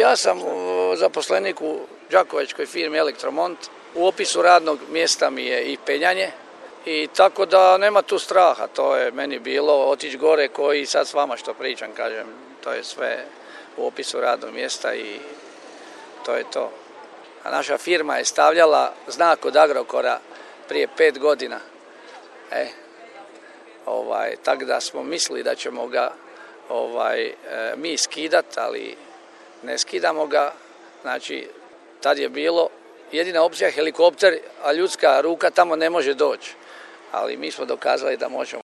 Ja sam zaposlenik u đakovačkoj firmi Elektromont. U opisu radnog mjesta mi je i penjanje i tako da nema tu straha. To je meni bilo otići gore koji sad s vama što pričam, kažem. To je sve u opisu radnog mjesta i to je to. A naša firma je stavljala znak od Agrokora prije 5 godina. Tako da smo mislili da ćemo ga mi skidati, ali ne skidamo ga. Znači, tad je bilo jedina opcija helikopter, a ljudska ruka tamo ne može doći. Ali mi smo dokazali da možemo.